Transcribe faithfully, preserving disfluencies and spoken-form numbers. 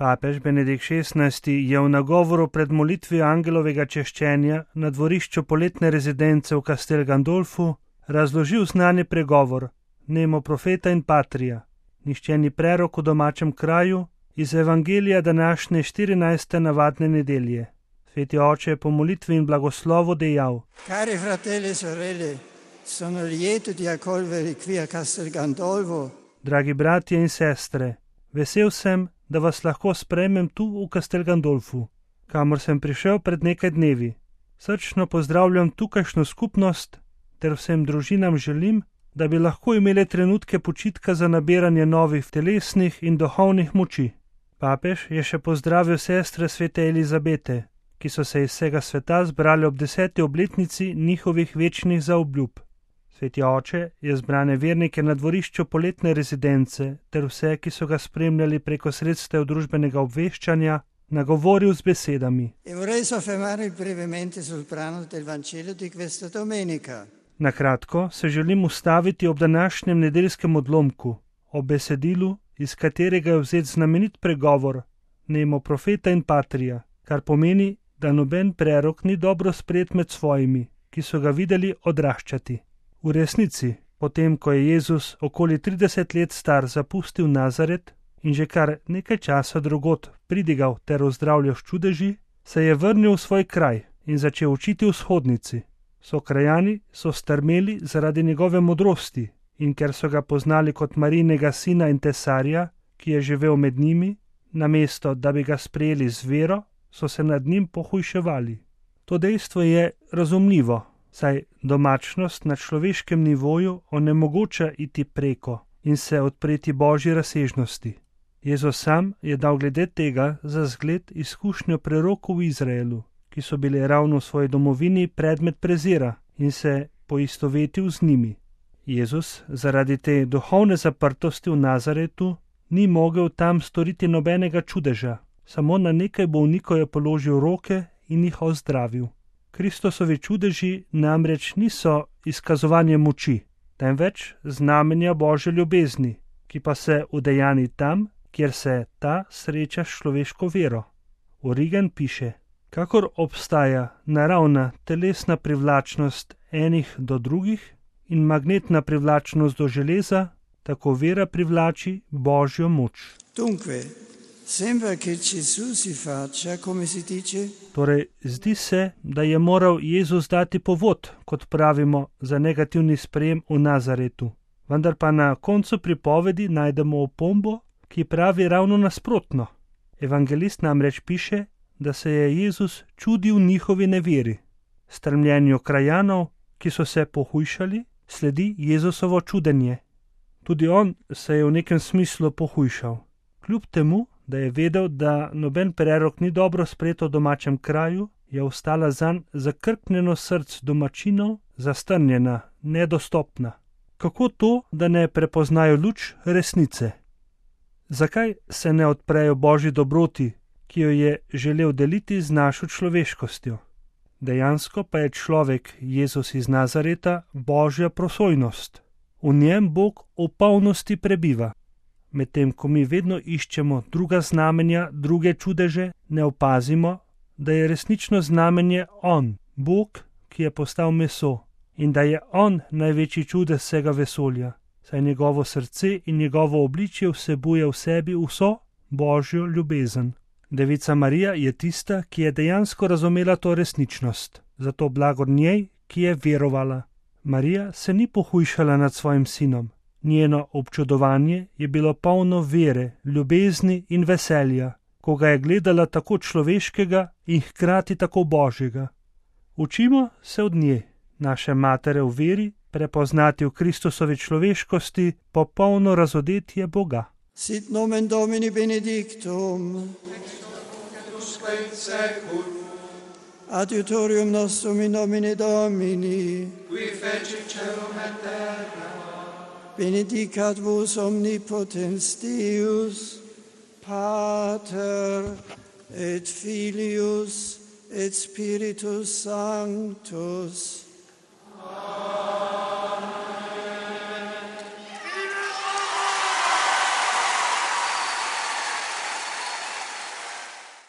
Papež Benedikt šestnajsti je v nagovoru pred molitvijo angelovega češčenja na dvorišču poletne rezidence v Castel Gandolfu razložil znani pregovor Nemo profeta in patria, nišče ni prerok v domačem kraju, iz evangelija današnje štirinajste navadne nedelje. Sveti oče je po molitvi in blagoslovu dejal: Cari fratelli e sorelle, sono lieto di accogliervi qui a Castel Gandolfo. Dragi bratje in sestre, vesel sem, da vas lahko sprejmem tu v Castel Gandolfu, kamor sem prišel pred nekaj dnevi. Srčno pozdravljam tukajšnjo skupnost ter vsem družinam želim, da bi lahko imeli trenutke počitka za nabiranje novih telesnih in duhovnih moči. Papež je še pozdravil sestre svete Elizabete, ki so se iz vsega sveta zbrali ob deseti obletnici njihovih večnih zaobljub. Sveti oče je zbrane vernike na dvorišču poletne rezidence ter vse, ki so ga spremljali preko sredstev družbenega obveščanja, nagovoril z besedami. E vorrei soffermarmi brevemente sul brano del Vangelo di questa domenica. Na kratko se želim ustaviti ob današnjem nedeljskem odlomku, ob besedilu, iz katerega je vzet znamenit pregovor Nemo profeta in patria, kar pomeni, da noben prerok ni dobro sprejet med svojimi, ki so ga videli odraščati. V resnici, potem ko je Jezus okoli trideset let star zapustil Nazaret in že kar nekaj časa drugod pridigal ter ozdravljal s čudeži, se je vrnil v svoj kraj in začel učiti v shodnici. Sokrajani so strmeli zaradi njegove modrosti in ker so ga poznali kot Marijinega sina in tesarja, ki je živel med njimi, namesto da bi ga sprejeli z vero, so se nad njim pohujševali. To dejstvo je razumljivo, saj domačnost na človeškem nivoju onemogoča iti preko in se odpreti Božji razsežnosti. Jezus sam je dal glede tega za zgled izkušnjo prerokov v Izraelu, ki so bili ravno v svoji domovini predmet prezira in se poistovetil z njimi. Jezus zaradi te duhovne zaprtosti v Nazaretu ni mogel tam storiti nobenega čudeža, samo na nekaj bolnikov je položil roke in jih ozdravil. Kristosovi čudeži namreč niso izkazovanje moči, temveč znamenja Božje ljubezni, ki pa se udejani tam, kjer se ta sreča s človeško vero. Origen piše: kakor obstaja naravna telesna privlačnost enih do drugih in magnetna privlačnost do železa, tako vera privlači Božjo moč. Dunque, sembra che Gesù si faccia, come si dice? Torej, zdi se, da je moral Jezus dati povod, kot pravimo, za negativni sprejem v Nazaretu. Vendar pa na koncu pripovedi najdemo opombo, ki pravi ravno nasprotno. Evangelist namreč piše, da se je Jezus čudil njihovi neveri. Strmljenju krajanov, ki so se pohujšali, sledi Jezusovo čudenje. Tudi on se je v nekem smislu pohujšal. Kljub temu, da je vedel, da noben prerok ni dobro sprejet v domačem kraju, je ostala zanj zakrknjeno src domačinov, zastrnjena, nedostopna. Kako to, da ne prepoznajo luč resnice? Zakaj se ne odprejo Božji dobroti, ki jo je želel deliti z našo človeškostjo? Dejansko pa je človek, Jezus iz Nazareta, Božja prosojnost. V njem Bog v polnosti prebiva. Medtem ko mi vedno iščemo druga znamenja, druge čudeže, ne opazimo, da je resnično znamenje On, Bog, ki je postal meso, in da je On največji čudež vsega vesolja, saj njegovo srce in njegovo obličje vsebuje v sebi vso Božjo ljubezen. Devica Marija je tista, ki je dejansko razumela to resničnost, zato blagor njej, ki je verovala. Marija se ni pohujšala nad svojim sinom. Njeno občudovanje je bilo polno vere, ljubezni in veselja, ko ga je gledala tako človeškega in hkrati tako Božjega. Učimo se od nje, naše matere v veri, prepoznati v Kristusovi človeškosti popolno razodetje Boga. Sit nomen Domini benedictum. Adiutorium nostrum in nomine Domini. Qui fecit caelum et terra. Benedicat vos omnipotens Deus, Pater et Filius et Spiritus Sanctus.